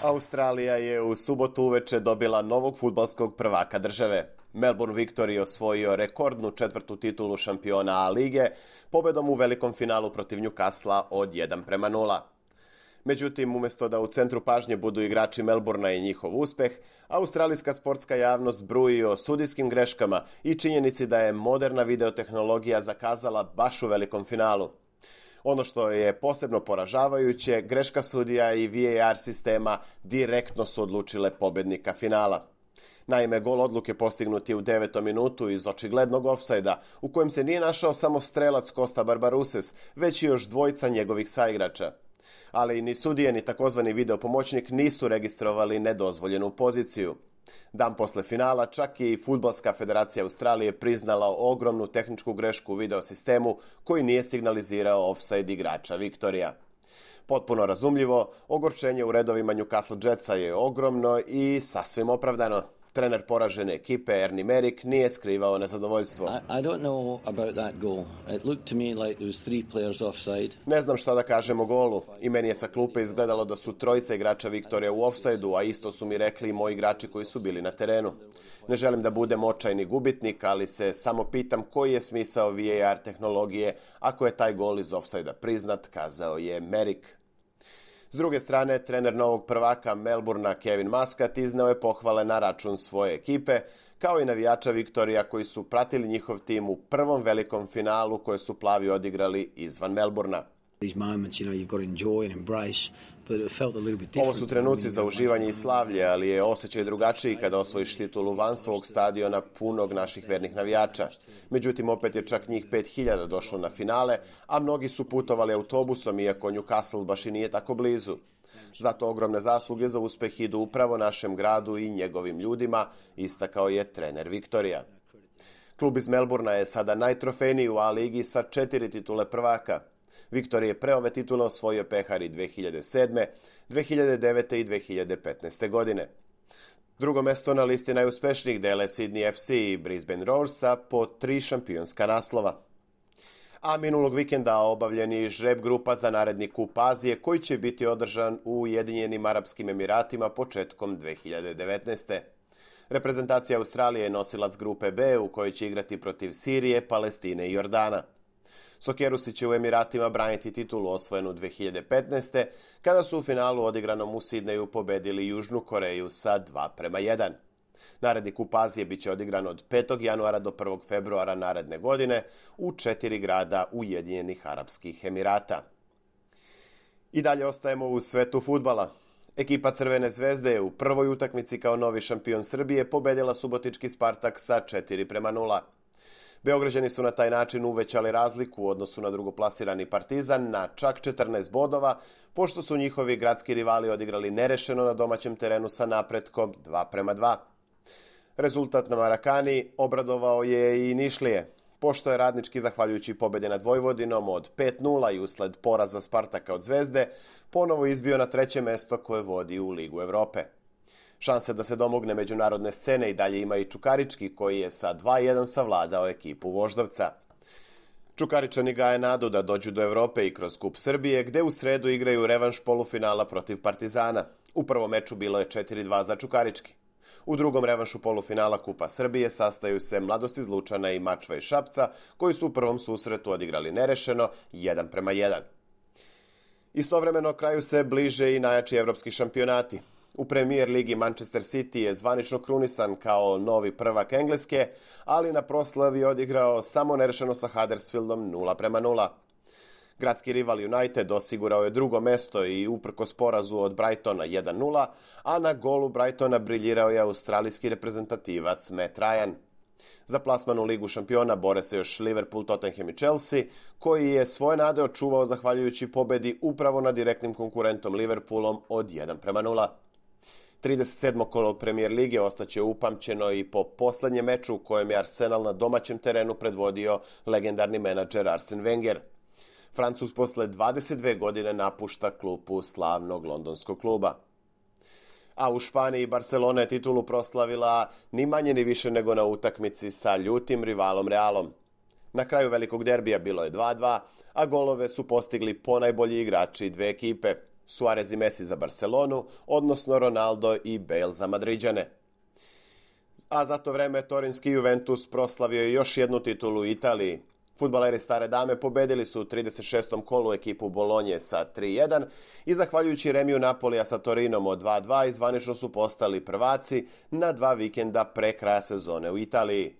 Australija je u subotu uveče dobila novog fudbalskog prvaka države. Melbourne Victory osvojio rekordnu 4. titulu šampiona A lige pobedom u velikom finalu protiv Newcastle od 1:0. Međutim, umjesto da u centru pažnje budu igrači Melbournea i njihov uspeh, australijska sportska javnost bruji o sudijskim greškama i činjenici da je moderna videotehnologija zakazala baš u velikom finalu. Ono što je posebno poražavajuće, greška sudija i VAR sistema direktno su odlučile pobednika finala. Naime, gol odluke postignut je u 9. minutu iz očiglednog ofsajda, u kojem se nije našao samo strelac Costa Barbarouses, već i još dvojica njegovih saigrača. Ali ni sudije ni takozvani videopomoćnik nisu registrovali nedozvoljenu poziciju. Dan posle finala čak i Fudbalska federacija Australije priznala ogromnu tehničku grešku u videosistemu koji nije signalizirao ofsajd igrača Viktorija. Potpuno razumljivo, ogorčenje u redovima Newcastle Jetsa je ogromno i sasvim opravdano. Trener poražene ekipe Ernie Merrick nije skrivao nezadovoljstvo. Ne znam šta da kažem o golu. I meni je sa klupe izgledalo da su trojica igrača Viktorija u ofsajdu, a isto su mi rekli i moji igrači koji su bili na terenu. Ne želim da budem očajni gubitnik, ali se samo pitam koji je smisao VAR tehnologije ako je taj gol iz ofsajda priznat, kazao je Merrick. S druge strane, trener novog prvaka Melbournea Kevin Muscat izneo je pohvale na račun svoje ekipe, kao i navijača Viktorija koji su pratili njihov tim u prvom velikom finalu koje su plavi odigrali izvan Melbournea. Ovo su trenuci za uživanje i slavlje, ali je osjećaj drugačiji kada osvojiš titulu van svog stadiona punog naših vernih navijača. Međutim, opet je čak njih 5000 došlo na finale, a mnogi su putovali autobusom, iako Newcastle baš i nije tako blizu. Zato ogromne zasluge za uspeh idu upravo našem gradu i njegovim ljudima, istakao je trener Viktorija. Klub iz Melbournea je sada najtrofejniji u A ligi sa 4 titule prvaka. Viktorija je pre ove titule osvojio pehari 2007., 2009. i 2015. godine. Drugo mesto na listi najuspešnijih dele Sydney FC i Brisbane Roarsa po 3 šampionska naslova. A minulog vikenda obavljen je žreb grupa za naredni kup Azije koji će biti održan u Ujedinjenim Arapskim Emiratima početkom 2019. Reprezentacija Australije je nosilac grupe B u kojoj će igrati protiv Sirije, Palestine i Jordana. Sokerusi će u Emiratima braniti titulu osvojenu 2015. kada su u finalu odigranom u Sidneju pobedili Južnu Koreju sa 2:1. Naredni kup Azije biće odigran od 5. januara do 1. februara naredne godine u 4 grada Ujedinjenih Arapskih Emirata. I dalje ostajemo u svetu fudbala. Ekipa Crvene zvezde je u prvoj utakmici kao novi šampion Srbije pobedila subotički Spartak sa 4:0. Beograđani su na taj način uvećali razliku u odnosu na drugoplasirani Partizan na čak 14 bodova, pošto su njihovi gradski rivali odigrali nerešeno na domaćem terenu sa napretkom 2:2. Rezultat na Marakani obradovao je i Nišlije, pošto je Radnički, zahvaljujući pobedi nad Vojvodinom od 5:0 i usled poraza Spartaka od Zvezde, ponovo izbio na 3. mesto koje vodi u Ligu Evrope. Šanse da se domogne međunarodne scene i dalje ima i Čukarički, koji je sa 2:1 savladao ekipu Voždovca. Čukaričani gaje nadu da dođu do Evrope i kroz Kup Srbije, gde u sredu igraju revanš polufinala protiv Partizana. U prvom meču bilo je 4:2 za Čukarički. U drugom revanšu polufinala Kupa Srbije sastaju se Mladost iz Lučana i Mačva iz Šapca, koji su u prvom susretu odigrali nerešeno 1:1. Istovremeno kraju se bliže i najjači evropski šampionati. U Premier ligi Manchester City je zvanično krunisan kao novi prvak Engleske, ali na proslavi odigrao samo nerešeno sa Huddersfieldom 0:0. Gradski rival United osigurao je drugo mesto i uprkos porazu od Brightona 1:0, a na golu Brightona briljirao je australijski reprezentativac Matt Ryan. Za plasman u Ligu šampiona bore se još Liverpool, Tottenham i Chelsea, koji je svoje nade očuvao zahvaljujući pobedi upravo nad direktnim konkurentom Liverpoolom od 1:0. 37. kolo Premier lige ostaće upamćeno i po poslednjem meču u kojem je Arsenal na domaćem terenu predvodio legendarni menadžer Arsene Wenger. Francuz posle 22 godine napušta klupu slavnog londonskog kluba. A u Španiji Barcelona je titulu proslavila ni manje ni više nego na utakmici sa ljutim rivalom Realom. Na kraju velikog derbija bilo je 2:2, a golove su postigli ponajbolji igrači dve ekipe. Suarez i Messi za Barcelonu, odnosno Ronaldo i Bale za Madriđane. A za to vreme torinski Juventus proslavio je još jednu titulu u Italiji. Fudbaleri Stare Dame pobedili su u 36. kolu ekipu Bolonje sa 3-1 i zahvaljujući remiju Napolija sa Torinom od 2-2 zvanično su postali prvaci na 2 vikenda pre kraja sezone u Italiji.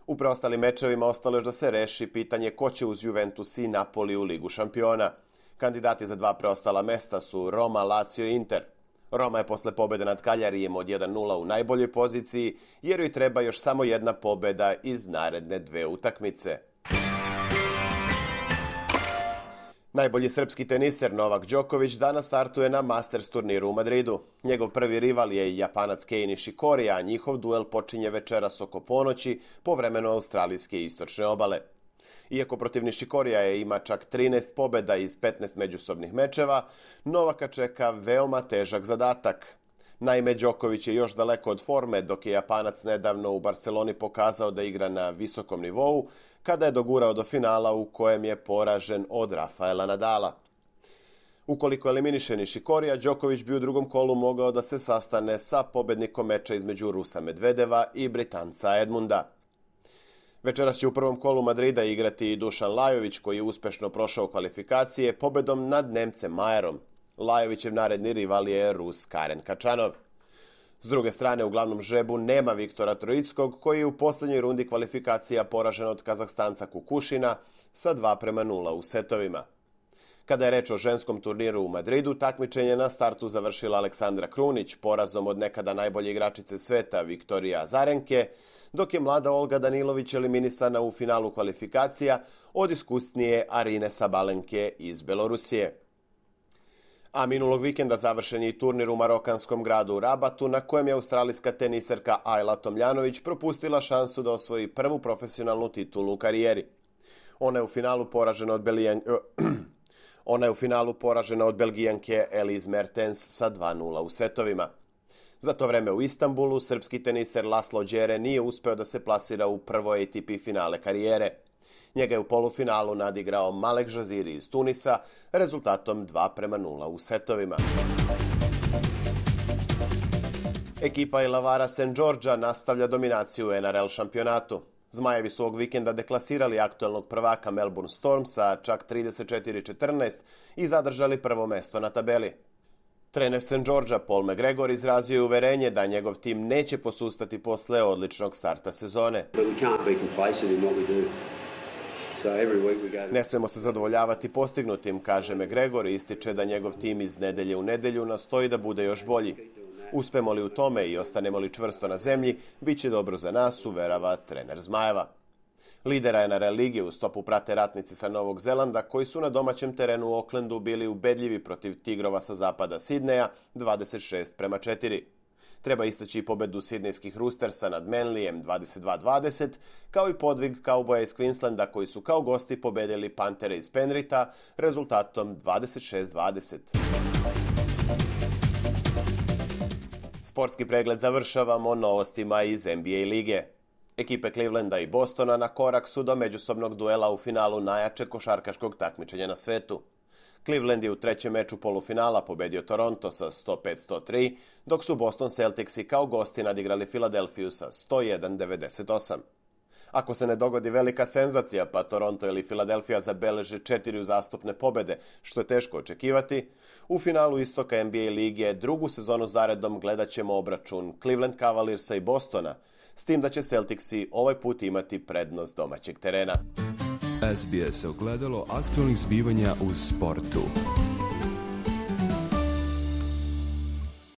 U preostalim mečevima ostalo je da se reši pitanje ko će uz Juventus i Napoli u Ligu šampiona. Kandidati za 2 preostala mesta su Roma, Lazio i Inter. Roma je posle pobede nad Kaljarijem od 1-0 u najboljoj poziciji, jer joj treba još samo jedna pobeda iz naredne 2 utakmice. Najbolji srpski teniser Novak Đoković danas startuje na Masters turniru u Madridu. Njegov prvi rival je Japanac Kei Nishikori, a njihov duel počinje večeras oko ponoći po vremenu australijske istočne obale. Iako protiv Nishikorija ima čak 13 pobjeda iz 15 međusobnih mečeva, Novaka čeka veoma težak zadatak. Naime, Đoković je još daleko od forme, dok je Japanac nedavno u Barceloni pokazao da igra na visokom nivou, kada je dogurao do finala u kojem je poražen od Rafaela Nadala. Ukoliko eliminiše Nishikorija, Đoković bi u drugom kolu mogao da se sastane sa pobednikom meča između Rusa Medvedeva i Britanca Edmunda. Večeras će u prvom kolu Madrida igrati i Dušan Lajović, koji je uspešno prošao kvalifikacije pobedom nad Nemcem Majerom. Lajovićev naredni rival je Rus Karen Kačanov. S druge strane, u glavnom žrebu nema Viktora Trojickog, koji je u posljednjoj rundi kvalifikacija poražen od Kazahstanca Kukušina sa 2-0 u setovima. Kada je reč o ženskom turniru u Madridu, takmičenje na startu završila Aleksandra Krunić porazom od nekada najbolje igračice sveta Viktorije Azarenke, dok je mlada Olga Danilović eliminisana u finalu kvalifikacija od iskusnije Arine Sabalenke iz Belorusije. A minulog vikenda završen je i turnir u marokanskom gradu Rabatu, na kojem je australijska teniserka Ajla Tomljanović propustila šansu da osvoji prvu profesionalnu titulu u karijeri. Ona je u finalu poražena od Belgijanke Elise Mertens sa 2-0 u setovima. Za to vreme u Istanbulu srpski teniser Laslo Đere nije uspeo da se plasira u prvo ATP finale karijere. Njega je u polufinalu nadigrao Malek Žaziri iz Tunisa rezultatom 2-0 u setovima. Ekipa Ilavara St. Georgea nastavlja dominaciju u NRL šampionatu. Zmajevi su ovog vikenda deklasirali aktuelnog prvaka Melbourne Storm sa čak 34-14 i zadržali prvo mesto na tabeli. Trener St. Georgea Paul McGregor izrazio je uverenje da njegov tim neće posustati posle odličnog starta sezone. Ne smemo se zadovoljavati postignutim, kaže McGregor i ističe da njegov tim iz nedelje u nedelju nastoji da bude još bolji. Uspemo li u tome i ostanemo li čvrsto na zemlji, bit će dobro za nas, uverava trener Zmajeva. Lidera NRL lige u stopu prate ratnici sa Novog Zelanda, koji su na domaćem terenu u Aucklandu bili ubedljivi protiv Tigrova sa zapada Sidneja 26-4. Treba istaći i pobedu sidnejskih Roostersa nad Manlyjem 22-20, kao i podvig kauboja iz Queenslanda koji su kao gosti pobedili Pantere iz Penritha rezultatom 26-20. Sportski pregled završavamo novostima iz NBA lige. Ekipe Clevelanda i Bostona na korak su do međusobnog duela u finalu najjačeg košarkaškog takmičenja na svetu. Cleveland je u trećem meču polufinala pobedio Toronto sa 105-103, dok su Boston Celticsi kao gosti nadigrali Filadelfiju sa 101-98. Ako se ne dogodi velika senzacija, pa Toronto ili Filadelfija zabeleže 4 uzastopne pobede, što je teško očekivati, u finalu istoka NBA lige drugu sezonu zaredom gledat ćemo obračun Cleveland Cavaliersa i Bostona, s tim da će Celticsi ovaj put imati prednost domaćeg terena. SBS ogledalo aktualnih zbivanja u sportu.